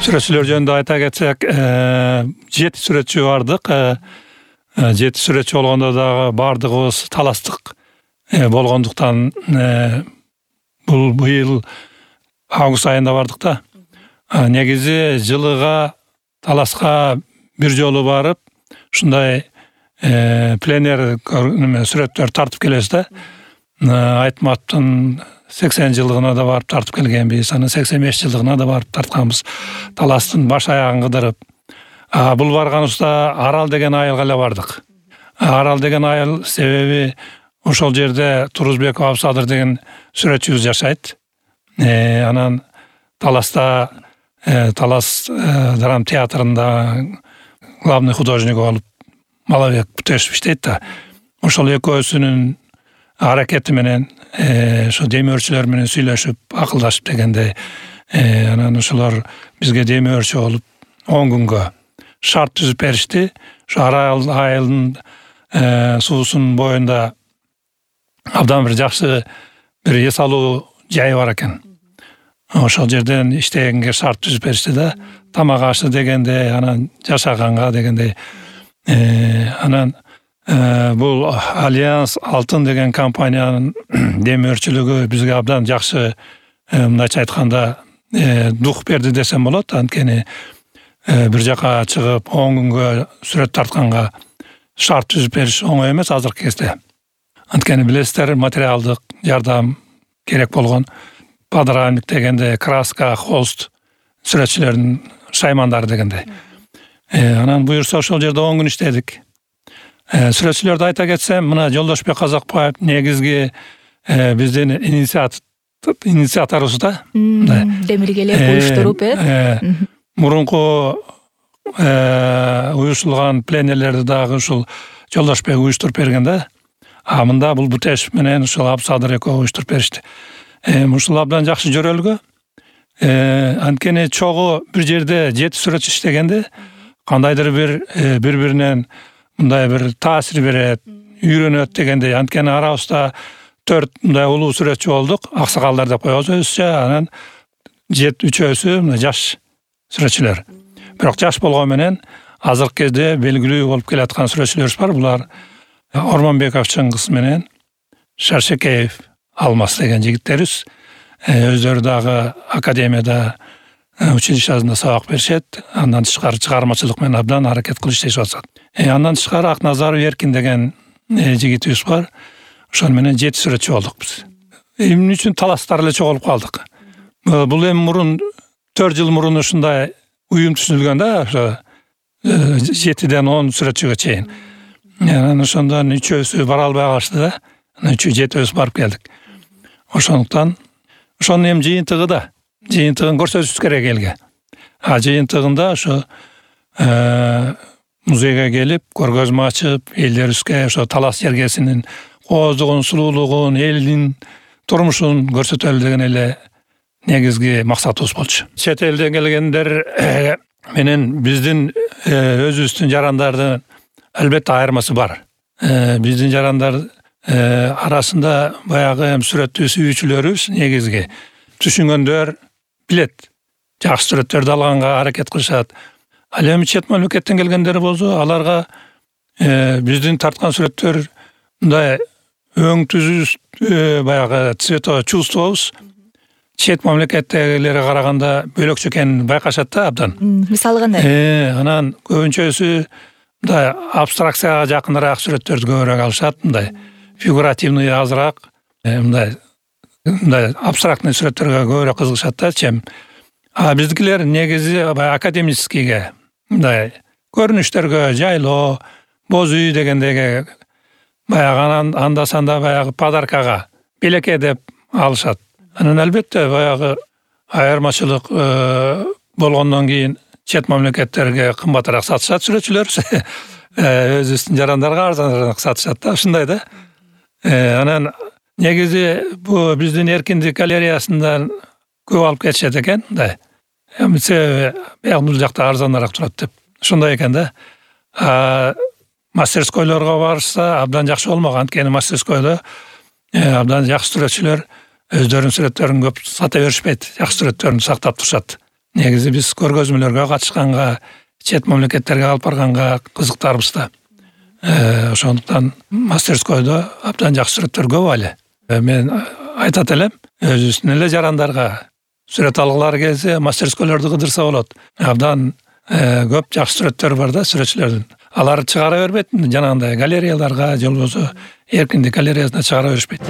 Сүрөтчүлөр жөнүндө айта кетсек, 7 сүрөтчү бардык. 7 сүрөтчү болгондо дагы бардыгыбыз таластык болгондуктан бул быйыл август айында бардык да. Негизи жылыга таласка бир жолу барып, ушундай пленер сүрөттөр тартып келебиз да. Айтматтын 80 жылдыгына да барып тартып келгенбиз, анын 85 жылдыгына да барып тартканбыз. Таластын баш аягын кыдырып. Бул барганыбызда Арал деген айылга эле бардык. Арал деген айыл себеби ошол жерде Турузбеков Абсадыр деген сүрөтчүбүз жашайт. Анан Таласта Талас драма театрында главный художник болуп Малабек Бутешев иштейт да. Ошол экөөсүнүн аракети менен ошо демөөрчүлөр менен сүйлөшүп, акылдашып дегенде, анан ошолор бизге демөөрчү болуп 10 күнгө шарт түзүп беришти. Ошо Арал айылдын суусунун боюнда абдан бир жакшы бир эс алуу жайы бар экен. Ошол жерден иштегенге шарт түзүп беришти да. Тамак ашы дегенде, анан жашаганга дегенде. Анан бул Альянс Алтын деген компаниянын демөөрчүлүгү бизге абдан жакшы, мындайча айтканда, дух берди десем болот. Анткени бир жака чыгып 10 күнгө сүрөт тартканга шарт түзүп бериш оңой эмес азыркы кезде. Анткени билесиздер, материалдык жардам керек болгон. Подрамник дегенде, краска, холст, сүрөтчүлөрдүн шаймандары дегенде. Анан буюрса ошол жерде 10 күн иштедик. Сүрөтчүлөрдү айта кетсем, мына Жолдошбек Казакбаев негизги биздин инициаторубуз да. Демилгелеп уюштуруп, мурунку уюштурулган пленерлерди дагы ушул Жолдошбек уюштуруп берген да. Мында бул Бутешев менен ушул Абсадыр экөө уюштуруп беришти. Ушул абдан жакшы жөрөлгө. Анткени чогуу бир жерде 7 сүрөтчү иштегенде кандайдыр бир бири-биринен мындай бир таасир берет, үйрөнөт дегенде. Анткени арабызда 4 мындай улуу сүрөтчү болдук, аксакалдар деп коебуз өзүчө. Анан 3-өсү жаш сүрөтчүлөр. Бирок жаш болгон менен азыркы кезде белгилүү болуп келаткан сүрөтчүлөрүбүз бар. Булар Орманбеков Чыңгыз менен Шаршекеев Алмаз деген жигиттерибиз. Өздөрү дагы академияда, училищасында сабак беришет. Андан тышкары чыгармачылык менен абдан аракет кылып иштешип атышат. Андан тышкары Акназаров Эркин деген жигитибиз бар. Ошол менен 7 сүрөтчү болдук биз. Эмне үчүн таластар эле чогулуп калдык? Бул эми мурун 4 жыл мурун ушундай уюм түзүлгөн да, ошо 7ден 10 сүрөтчүгө чейин. Анан ошондон 3-өсү бара албай калышты да. Анан 7-өсү барып келдик. Ошондуктан ошонун эми жыйынтыгы да, жыйынтыгын көрсөтүш керек элге. Жыйынтыгында ошо музейге келип, көргөзмө ачып, элдерибизге ошо Талас жергесинин кооздугун, сулуулугун, элдин турмушун көрсөтөлү деген эле негизги максатыбыз болчу. Чет элден келгендер менен биздин өзүбүздүн жарандардын албетте айырмасы бар. Биздин жарандар арасында баягы сүрөттү сүйүүчүлөрүбүз негизги түшүнгөндөр билет. Жакшы сүрөттөрдү алганга аракет кылышат. Ал эми чет мамлекеттен келгендер болсо, аларга биздин тарткан сүрөттөр мындай өң түзүс, баягы цветочувствобуз чет мамлекеттегилерге караганда бөлөкчө экенин байкашат да абдан. Мисалы кандай? Анан көбүнчөсү мындай абстракцияга жакыныраак сүрөттөрдү көбүрөөк алышат, мындай фигуративный азыраак, мындай абстрактный сүрөттөргө көбүрөөк кызыгышат да, чем. Биздикилер негизи академическийге, мындай көрүнүштөргө, жайлоо, боз үй дегендеге, баягы анда-санда баягы подаркага, белекке деп алышат. Анан албетте баягы айырмачылык болгондон кийин чет мамлекеттерге кымбатыраак сатышат сүрөтчүлөр. Өзүбүздүн жарандарга арзаныраак сатышат да, ушундай да. Анан негизи бу биздин Эркиндик галереясында көп алып кетишет экен, мындай. Себеби бул жакта арзаныраак турат деп. Ушундай экен да. Мастерскойлорго барышса абдан жакшы болмок. Анткени мастерскойдо абдан жакшы сүрөтчүлөр өздөрүнүн сүрөттөрүн көп сата беришпейт. Жакшы сүрөттөрүн сактап турушат. негизи биз көргөзмөлөргө катышканга, чет мамлекеттерге алып барганга кызыктарбыз да. Ошондуктан мастерскойдо абдан жакшы сүрөттөр көп эле. Мен айтат элем, өзүбүздүн эле жарандарга сүрөт алгылары келсе, мастерскойлорду кыдырса болот. Абдан көп жакшы сүрөттөр бар да сүрөтчүлөрдүн. Алар чыгара бербейт, жанагындай галереяларга же болбосо Эркиндик галереясына чыгара беришпейт.